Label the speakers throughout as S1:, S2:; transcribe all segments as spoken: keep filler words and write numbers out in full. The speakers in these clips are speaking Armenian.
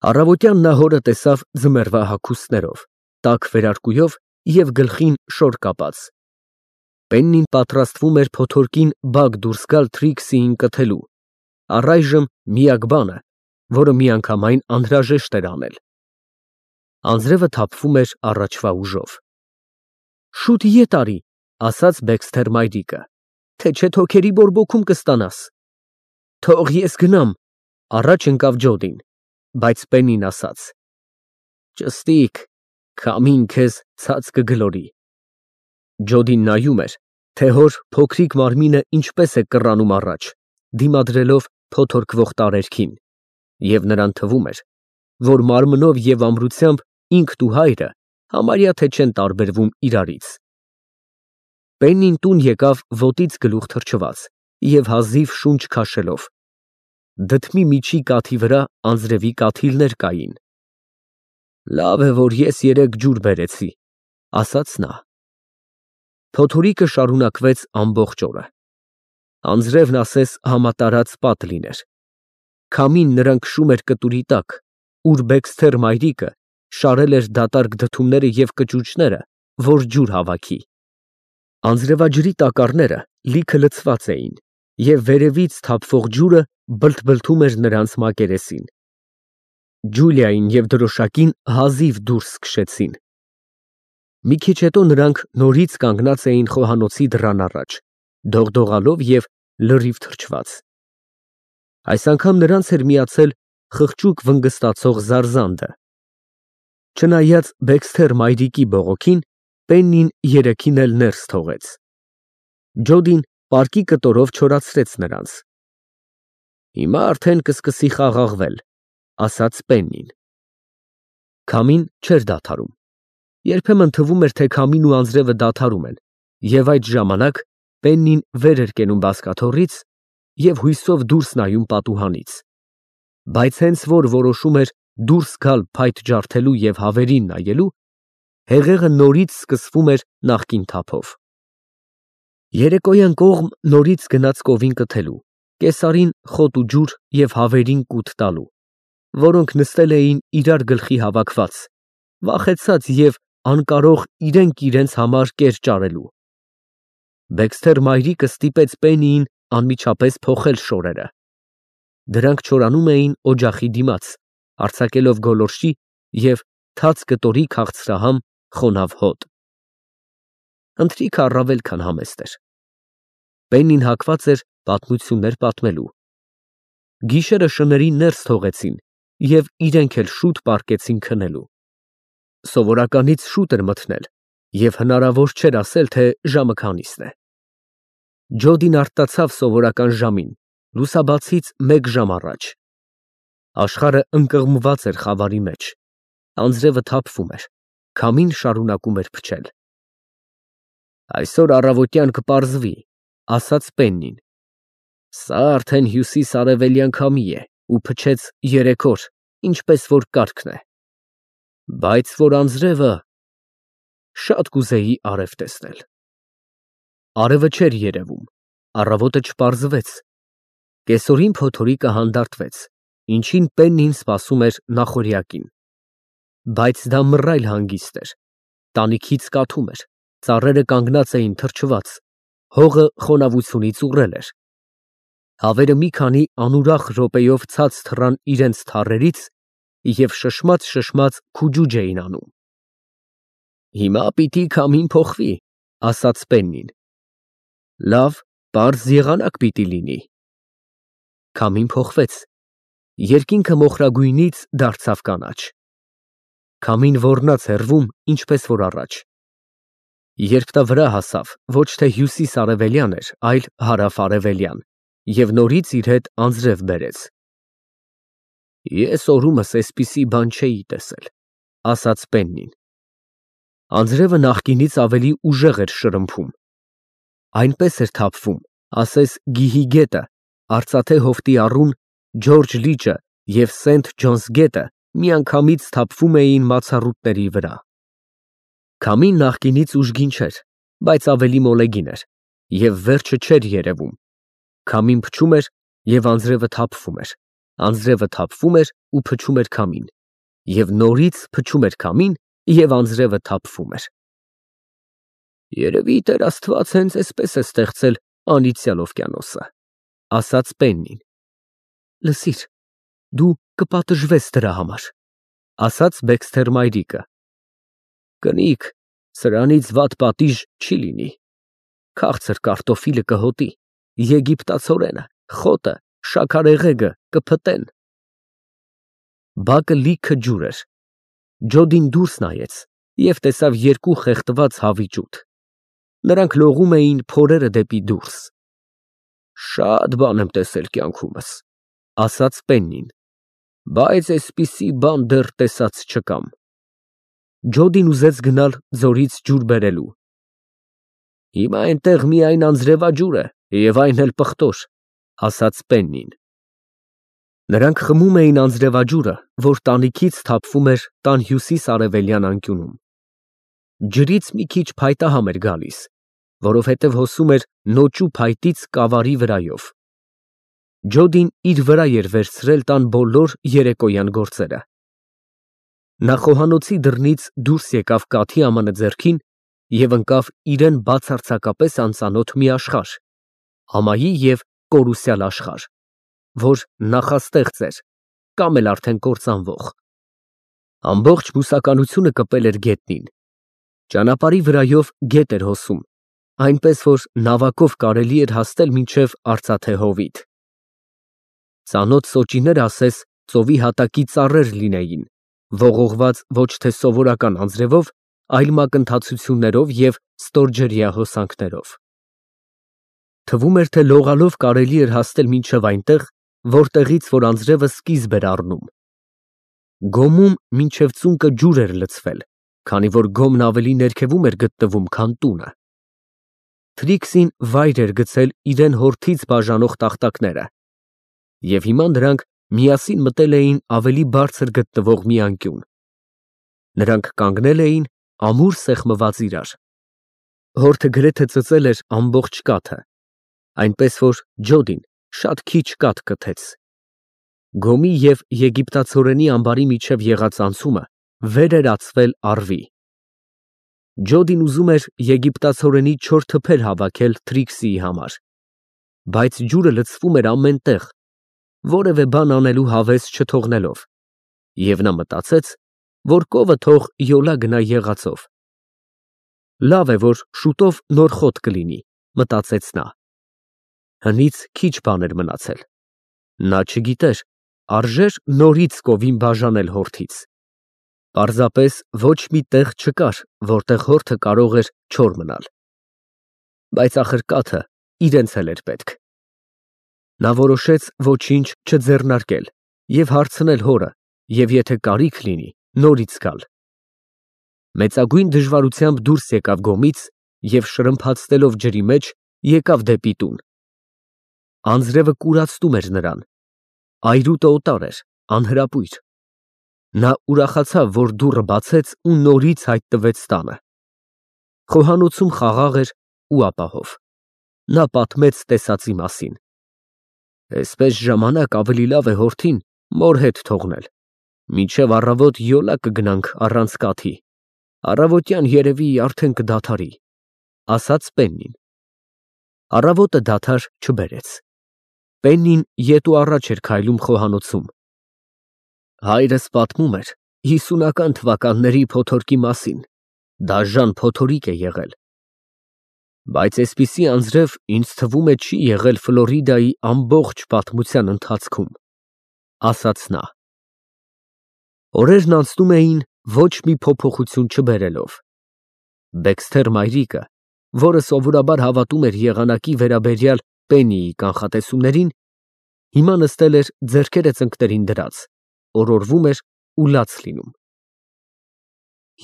S1: Առավոտյան նա հորը տեսավ ձմեռվա հագուստներով, տաք վերարկուով և գլխին շոր կապած։ Պեննին պատրաստվում էր փոթորկին բակ դուրս գալ Թրիքսիին կթելու, առայժմ միակ բանը, որը միանգամայն անհրաժեշտ էր անել։ Անձրևը թափվում էր առաջվա ուժով։ Շուտ ետ արի, ասաց Բեքսթեր մայրիկը, թե չէ թոքերի բորբոքում կստանաս։ Թող ես գնամ, առաջ ընկավ Ջոդին, բայց Պեննին ասաց. Ճստիկ, քամին քեզ ցած կգլորի։ Ջոդին նայում էր, թե հոր փոքրիկ մարմինը ինչպես է կռանում առաջ, դիմադրելով փոթորկվող տարերքին, և նրան թվում էր, որ մարմնով և ամրությամբ ինքն ու հայրը համարյա թե չեն տարբերվում իրարից։ Պեննին տուն եկավ ոտից գլուխ թռչված և հազիվ շունչ քաշելով։ Դդմի միջի կաթի վրա անձրևի կաթիլներ կային։ Լավ է, որ ես երեկ ջուր բերեցի, ասաց նա։ Փոթորիկը շարունակվեց ամբողջ օրը։ Անձրևն ասես համատարած պատ լիներ։ Քամին նրան քշում էր կտուրի տակ, ուր Բեքսթեր մայրիկը շարել էր դատարկ դդումները և կճուճները, որ ջուր հավաքի։ Անձրևաջրի տակառները լիքը լցված էին, և վերևից թափվող ջուրը բլթբլթում էր նրանց մակերեսին։ Ջուլիային և դրոշակին հազիվ դուրս քշեցին։ Մի քիչ հետո նրանք նորից կանգնած էին խոհանոցի դռան առաջ, դողդողալով և լրիվ թրջված։ Այս անգամ նրանց էր միացել խղճուկ վնգստացող զարզանդը։ Չնայած Բեքսթեր մայրիկի բողոքին, Պեննին երեքին էլ ներս թողեց։ Ջոդին պարկի կտորով չորացրեց նրանց։ Հիմա արդեն կսկսի խաղաղվել, ասաց Պեննին։ Քամին չէր դադարում։ Երբեմն թվում էր, թե քամին ու անձրևը դադարում են, և այդ ժամանակ Պեննին վեր էր կենում բազկաթոռից և հույսով դուրս նայում պատուհանից։ Բայց հենց որ որոշում էր դուրս գալ փայտ ջարդելու և հավերին նայելու, հեղեղը նորից սկսվում էր նախկին թափով։ Երեկոյան կողմ նորից գնաց կովին կթելու, կեսարին խոտ ու ջուր և հավերին կուտ տալու, որոնք նստել էին իրար գլխի հավաքված, վախեցած և անկարող իրենք իրենց համար կեր ճարելու։ Բեքսթեր մայրիկը ստիպեց Պեննիին անմիջապես փոխել շորերը։ Դրանք չորանում էին օջախի դիմաց, արձակելով գոլորշի և թաց կտորի քաղցրահամ խոնավ հոտ։ Ընթրիքը առավել քան համեստ էր։ Պեննին հակված էր պատմություններ պատմելու։ Գիշերը շներին ներս թողեցին և իրենք էլ շուտ պառկեցին քնելու։ Սովորականից շուտ էր մթնել, և հնարավոր չէր ասել, թե ժամը քանիսն է։ Ջոդին արթնացավ սովորական ժամին, լուսաբացից մեկ ժամ առաջ։ Աշխարհը ընկղմված էր խավարի մեջ, անձրևը թափվում էր, քամին շարունակում էր փչել։ Այսօր առավոտյան կպարզվի, ասաց Պեննին։ Սա արդեն հյուսիս֊արևելյան քամի է ու փչեց երեք օր, ինչպես որ կարգն է։ Բայց որ անձրևը… Շատ կուզեի արև տեսնել։ Արևը չէր երևում, առավոտը չպարզվեց։ Կեսօրին փոթորիկը հանդարտվեց, ինչին Պեննին սպասում էր նախօրյակին։ Բայց դա մռայլ հանգիստ էր, տանիքից կաթում էր, ծառերը կանգնած էին թրջված, հողը խոնավությունից ուռել էր։ Հավերը մի քանի անուրախ րոպեով ցած թռան իրենց թառերից և շշմած֊շշմած քուջուջ էին անում։ Հիմա պիտի քամին փոխվի, ասաց Պեննին։ Լավ, պարզ եղանակ պիտի լինի։ Քամին փոխվեց։ Երկինքը մոխրագույնից դարձավ կանաչ։ Քամին ոռնաց հեռվում, ինչպես որ առաջ։ Երբ նա վրա հասավ, ոչ թե հյուսիս֊արևելյան էր, այլ հարավ֊արևելյան, և նորից իր հետ անձրև բերեց։ Ես օրումս էսպիսի բան չէի տեսել, ասաց Պեննին։ Անձրևը նախկինից ավելի ուժեղ էր շրմփում։ Այնպես էր թափվում, ասես գիհի գետը, արծաթե հովտի առուն, Ջորջ լիճը և Սենթ Ջոնս գետը միանգամից թափվում էին մացառուտների վրա։ Քամին նախկինից ուժգին չէր, բայց ավելի մոլեգին էր, և վերջը չէր երևում։ Քամին փչում էր, և անձրևը թափվում էր, Անձրևը թափվում էր ու փչում էր քամին, և նորից փչում էր քամին, և անձրևը թափվում էր։ Երևի Տեր Աստված հենց այսպես է ստեղծել անիծյալ օվկիանոսը, ասաց Պեննին։ Լսիր, դու կպատժվես դրա համար, ասաց Բեքսթեր մայրիկը։ Կնիկ, սրանից վատ պատիժ չի լինի։ Քաղցր կարտոֆիլը կհոտի, եգիպտացորենը, խոտը, շաքարեղեգը կփտեն։ Բակը լիքը ջուր էր։ Ջոդին դուրս նայեց և տեսավ երկու խեղդված հավի ջութ։ Նրանք լողում էին փորերը դեպի դուրս։ Շատ բան եմ տեսել կյանքումս, ասաց Պեննին, բայց այսպիսի բան դեռ տեսած չկամ։ Ջոդին ուզեց գնալ ձորից ջուր բերելու։ Հիմա այնտեղ միայն անձրևաջուր է և այն էլ պղտոր, ասաց Պեննին։ Նրանք խմում էին անձրևաջուրը, որ տանիքից թափվում էր տան հյուսիս֊արևելյան անկյունում։ Ջրից մի քիչ փայտահամ էր գալիս, որովհետև հոսում էր նոճու փայտից կավարի վրայով։ Ջոդին իր վրա էր վերցրել տան բոլոր երեկոյան գործերը։ Նա խոհանոցի դռնից դուրս եկավ կաթի ամանը ձեռքին և ընկավ իրեն բացարձակապես անծանոթ մի աշխարհ, ամայի և կորուսյալ աշխարհ, որ նախաստեղծ էր կամ էլ արդեն կործանվող։ Ամբողջ բուսականությունը կպել էր գետնին։ Ճանապարհի վրայով գետ էր հոսում, այնպես որ նավակով կարելի էր հասնել մինչև արծաթե հովիտ։ Ծանոթ սոճիները ասես ծովի հատակի ծառեր լինեին, ողողված ոչ թե սովորական անձրևով, այլ մակընթացություններով և ստորջրյա հոսանքներով։ Թվում էր, թե լողալով կարելի էր հասնել մինչև այնտեղ, որտեղից որ անձրևը սկիզբ էր առնում։ Գոմում մինչև ծունկը ջուր էր լցվել, քանի որ գոմն ավելի ներքևում էր գտնվում, քան տունը։ Թրիքսին վայր էր գցել իրեն հորթից բաժանող տախտակները, և հիմա նրանք միասին մտել էին ավելի բարձր գտնվող մի անկյուն։ Նրանք կանգնել էին ամուր սեղմված իրար։ Հորթը գրեթե ծծել էր ամբողջ կաթը, այնպես որ Ջոդին շատ քիչ կաթ կթեց։ Գոմի և եգիպտացորենի ամբարի միջև եղած անցումը վեր էր ածվել առվի։ Ջոդին ուզում էր եգիպտացորենի չոր թփեր հավաքել Թրիքսիի համար, բայց ջուրը լցվում էր ամեն տեղ, որևէ բան անելու հավես չթողնելով, և նա մտածեց, որ կովը թող յոլա գնա եղածով։ Լավ է, որ շուտով նոր խոտ կլինի, մտածեց նա։ Հնից քիչ բան էր մնացել։ Նա չգիտեր, արժե՞ր նորից կովին բաժանել հորթից։ Պարզապես ոչ մի տեղ չկար, որտեղ հորթը կարող էր չոր մնալ։ Բայց ախր կաթը իրենց էլ էր պետք։ Նա որոշեց ոչինչ չձեռնարկել և հարցնել հորը, և եթե կարիք լինի, նորից գալ։ Մեծագույն դժվարությամբ դուրս եկավ գոմից և շրմփացնելով ջրի մեջ, եկավ դեպի տուն։ Անձրևը կուրացնում էր նրան, այրուտը օտար էր, անհրապույր։ Նա ուրախացավ, որ դուռը բացեց ու նորից հայտնվեց տանը։ Խոհանոցում խաղաղ էր ու ապահով։ Նա պատմեց տեսածի մասին։ Այսպես ժամանակ ավելի լավ է հորթին մոր հետ թողնել, մինչև առավոտ յոլա կգնանք առանց կաթի, առավոտյան երևի արդեն կդադարի, ասաց Պեննին։ Առավոտը դադար չբերեց։ Պեննին ետ ու առաջ էր քայլում խոհանոցում։ Հայրս պատմում էր հիսունական թվականների փոթորկի մասին, դաժան փոթորիկ է եղել։ Բայց այսպիսի անձրև ինձ թվում է չի եղել Ֆլորիդայի ամբողջ պատմության ընթացքում, ասաց նա։ Օրերն անցնում էին ոչ մի փոփոխություն չբերելով։ Բեքսթեր մայրիկը, որը սովորաբար հավատում էր եղանակի վերաբերյալ Պեննիի կանխատեսումներին, հիմա նստել էր ձեռքերը ծնկներին դրած, օրորվում էր ու լաց լինում։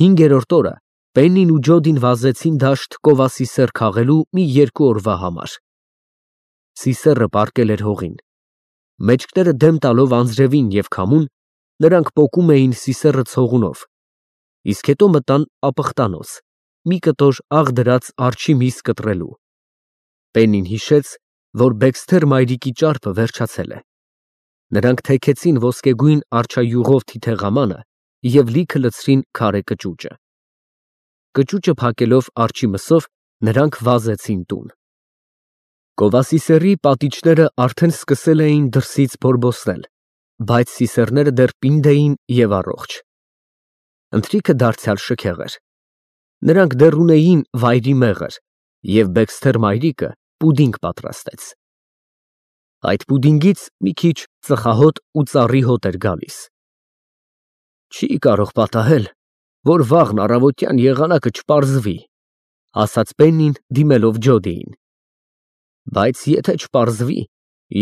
S1: Հինգերորդ օրը Պեննին ու Ջոդին վազեցին դաշտ կովասիսեռ քաղելու մի երկու օրվա համար։ Սիսեռը պառկել էր հողին։ Մեջքները դեմ տալով անձրևին և քամուն, նրանք պոկում էին սիսեռը ցողունով, իսկ հետո մտան ապխտանոց, մի կտոր աղ դրած արջի միս կտրելու։ Պեննին հիշեց, որ Բեքսթեր մայրիկի ճարպը վերջացել է։ Նրանք թեքեցին ոսկեգույն արջայուղով թիթեղամանը և լիքը լցրին քարե կճուճը։ Կճուճը փակելով արջի մսով, նրանք վազեցին տուն։ Գովասիսեռի պատիճները արդեն սկսել էին դրսից բորբոցնել, բայց սիսեռները դեռ պինդ էին և առողջ։ Ընթրիքը դարձյալ շքեղ էր։ Նրանք դեռ ունեին վայրի մեղր, և Բեքսթեր մայրիկը պուդինգ պատրաստեց։ Այդ պուդինգից մի քիչ ծխահոտ ու ծառի հոտ էր գալիս։ «Չի կարող պատահել, որ վաղն առավոտյան եղանակը չպարզվի», ֊ ասաց Պեննին, դիմելով Ջոդիին։ «Բայց եթե չպարզվի,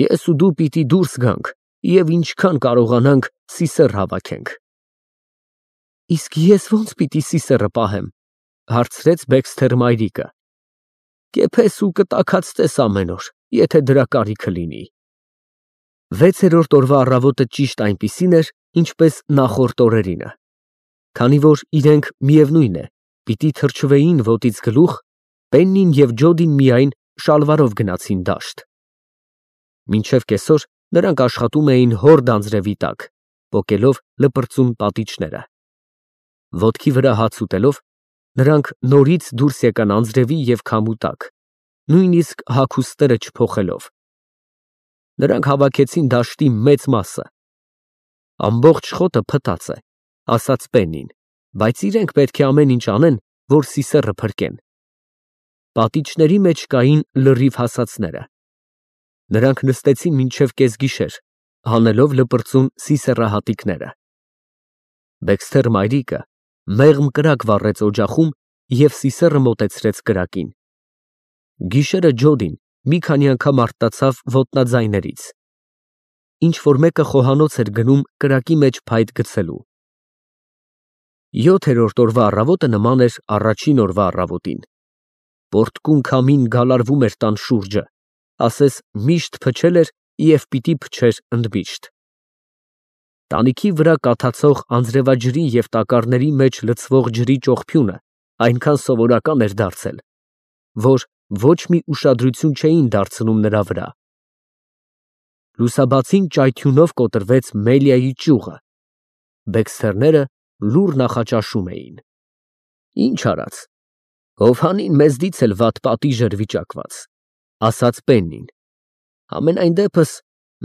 S1: ես ու դու պիտի դուրս գանք և ինչքան կարողանանք սիսեռ հավաքենք»։ «Իսկ ես ո՞նց պիտի սիսեռը պահեմ», ֊ հարցրեց Բեքսթեր մայրիկը։ «Կեփես ու կտաքացնես ամեն օր, եթե դրա կարիքը լինի»։ Վեցերորդ օրվա առավոտը ճիշտ այնպիսին էր, ինչպես նախորդ օրերինը։ Քանի որ իրենք, միևնույն է, պիտի թրջվեին ոտից գլուխ, Պեննին և Ջոդին միայն շալվարով գնացին դաշտ։ Մինչև կեսօր նրանք աշխատում էին հորդ անձրևի տակ, պոկելով լպրծուն պատիճները։ Ոտքի վրա հաց ուտելով, նրանք նորից դուրս եկան անձրևի և քամու տակ, նույնիսկ հագուստները չփոխելով։ Նրանք հավաքեցին դաշտի մեծ մասը։ «Ամբողջ խոտը փտած է», ֊ ասաց Պեննին, «բայց իրենք պետք է ամեն ինչ անեն, որ սիսեռը փրկեն»։ Պատիճների մեջ կային լրիվ հասածները։ Նրանք նստեցին մինչև կեսգիշեր, հանելով լպրծուն սիսեռահատիկները։ Բեքսթեր մայրիկը մեղմ կրակ վառեց օջախում և սիսեռը մոտեցրեց կրակին։ Գիշերը Ջոդին մի քանի անգամ արթնացավ ոտնաձայներից։ Ինչ֊որ մեկը խոհանոց էր գնում կրակի մեջ փայտ գցելու։ Յոթերորդ օրվա առավոտը նման էր առաջին օրվա առավոտին։ Պոռթկուն քամին գալարվում էր տան շուրջը, ասես միշտ փչել էր և պիտի փչեր ընդմիշտ։ Տանիքի վրա կաթացող անձրևաջրի և տակառների մեջ լցվող ջրի ճողփյունը այնքան սովորական էր դարձել, որ ոչ մի ուշադրություն չէին դարձնում նրա վրա։ Լուսաբացին ճայթյունով կոտրվեց Մելիայի ճյուղը։ Բեքսթերները լուռ նախաճաշում էին։ «Ինչ արած, Հովհանին մեզնից էլ վատ պատիժ էր վիճակված», ֊ ասաց Պեննին։ «Համենայն դեպս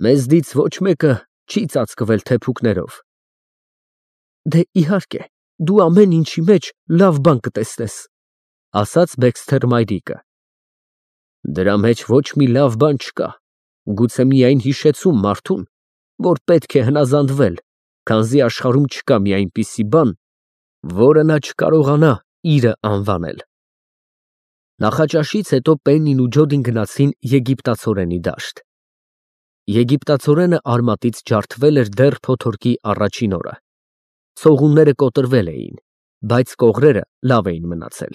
S1: մեզնից ոչ մեկը չի ծածկվել թեփուկներով»։ «Դե, իհարկե, դու ամեն ինչի մեջ լավ բան կտեսնես», ֊ ասաց Բեքսթեր մայրիկը։ «Դրա մեջ ոչ մի լավ բան չկա, գուցե միայն հիշեցում մարդուն, որ պետք է հնազանդվել, քանզի աշխարհում չկա մի այնպիսի բան, որը նա չկարողանա իրը անվանել»։ Նախաճաշից հետո Պեննին ու Ջոդին գնացին եգիպտացորենի դաշտ։ Եգիպտացորենը արմատից ջարդվել էր դեռ փոթորկի առաջին օրը։ Ցողունները կոտրվել էին, բայց կողրերը լավ էին մնացել։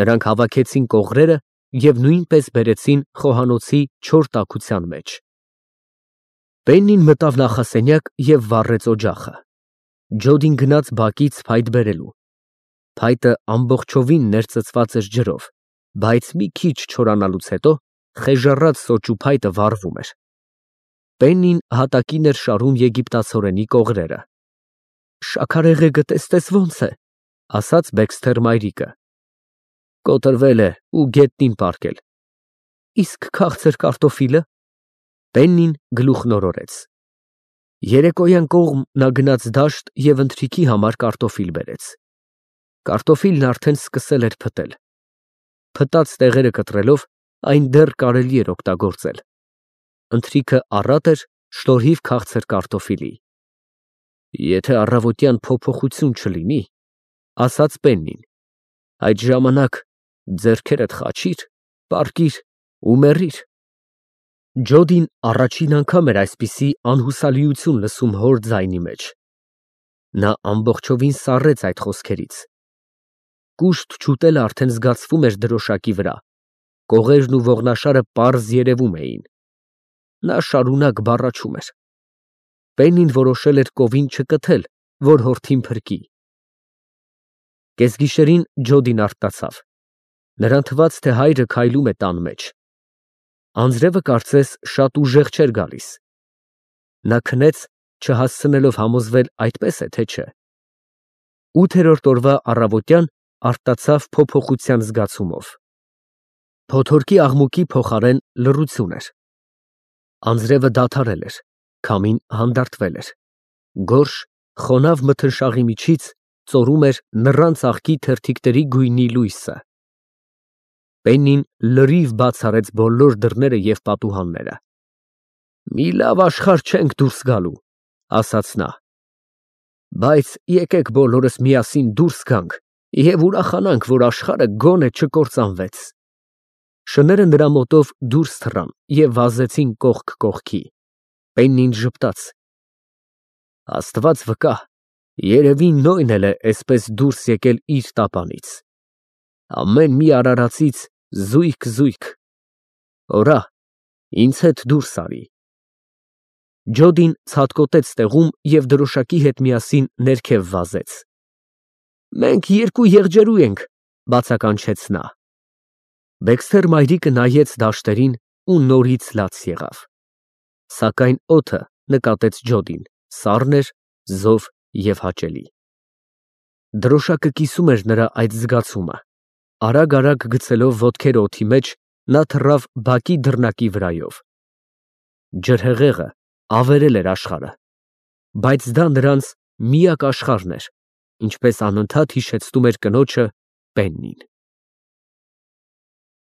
S1: Նրանք հավաքեցին կողրերը և նույնպես բերեցին խոհանոցի չոր տաքության մեջ։ Պեննին մտավ նախասենյակ և վառեց օջախը։ Ջոդին գնաց բակից փայտ բերելու։ Փայտը ամբողջովին ներծծված էր ջրով, բայց մի քիչ չորանալուց հետո խեժառած սոճու փայտը վառվում էր։ Պեննին հատակին էր շարում եգիպտացորենի կողրերը։ «Շաքարեղեգը տեսնես ո՞նց է», ֊ ասաց Բեքսթեր մայրիկը։ «Կոտրվել է ու գետնին պառկել»։ «Իսկ քաղցր կարտոֆիլը»։ Պեննին գլուխն օրորեց։ Երեկոյան կողմ նա գնաց դաշտ և ընթրիքի համար կարտոֆիլ բերեց։ Կարտոֆիլն արդեն սկսել էր փտել։ Փտած տեղերը կտրելով, այն դեռ կարելի էր օգտագործել։ Ընթրիքը առատ էր շնորհիվ քաղցր կարտոֆիլի։ «Եթե առավոտյան փոփոխություն չլինի, ֊ ասաց Պեննին, ֊ այդ ժամանակ ձեռքերդ խաչիր, պառկիր ու մեռիր»։ Ջոդին առաջին անգամ էր այսպիսի անհուսալիություն լսում հոր ձայնի մեջ։ Նա ամբողջովին սառեց այդ խոսքերից։ Կուշտ չուտելը արդեն զգացվում էր դրոշակի վրա, կողերն ու ողնաշարը պարզ երևում էին։ Նա շարունակ բառաչում էր։ Պեննին որոշել էր կովին չկթել, որ հորթին փրկի։ Կեսգիշերին Ջոդին արթնացավ։ Նրան թվաց, թե հայրը քայլում է տան մեջ։ Անձրևը կարծես շատ ուժեղ չէր գալիս։ Նա քնեց, չհասցնելով համոզվել այդպես է, թե չէ։ Ութերորդ օրվա առավոտյան արթնացավ փոփոխության զգացումով։ Փոթորկի աղմուկի փոխարեն լռություն էր։ Անձրևը դադարել էր, քամին հանդարտվել էր։ Գորշ, խոնավ մթնշաղի միջից ծորում էր նռան ծաղկի թերթիկների գույնի լույսը։ Պեննին լրիվ բաց արեց բոլոր դռները և պատուհանները։ «Մի լավ աշխարհ չենք դուրս գալու», ասաց նա, «բայց եկեք բոլորս միասին դուրս գանք և ուրախանանք, որ աշխարհը գոնե չկործանվեց»։ Շները նրա մոտով դուրս թռան և վազեցին կողք կողքի։ Պեննին ժպտաց. «Աստված վկա, երևի Նոյն էլ է էսպես դուրս եկել իր տապանից։ Ամեն մի արարածից զույգ֊զույգ։ Օրա, ինձ հետ դուրս արի»։ Ջոդին ցատկոտեց տեղում և դրոշակի հետ միասին ներքև վազեց։ «Մենք երկու եղջերու ենք», բացականչեց նա։ Դեքսթեր մայրիկը նայեց դաշտերին ու նորից լաց եղավ։ Սակայն օդը, նկատեց Ջոդին, սառն էր, զով և հաճելի։ Դրոշակը կիսում էր նրա այդ զգացումը։ Արագ֊արագ գցելով ոտքերը օդի մեջ, նա թռավ բակի դռնակի վրայով։ Ջրհեղեղը ավերել էր աշխարհը, բայց դա նրանց միակ աշխարհն էր, ինչպես անընդհատ հիշեցնում էր կնոջը Պեննին։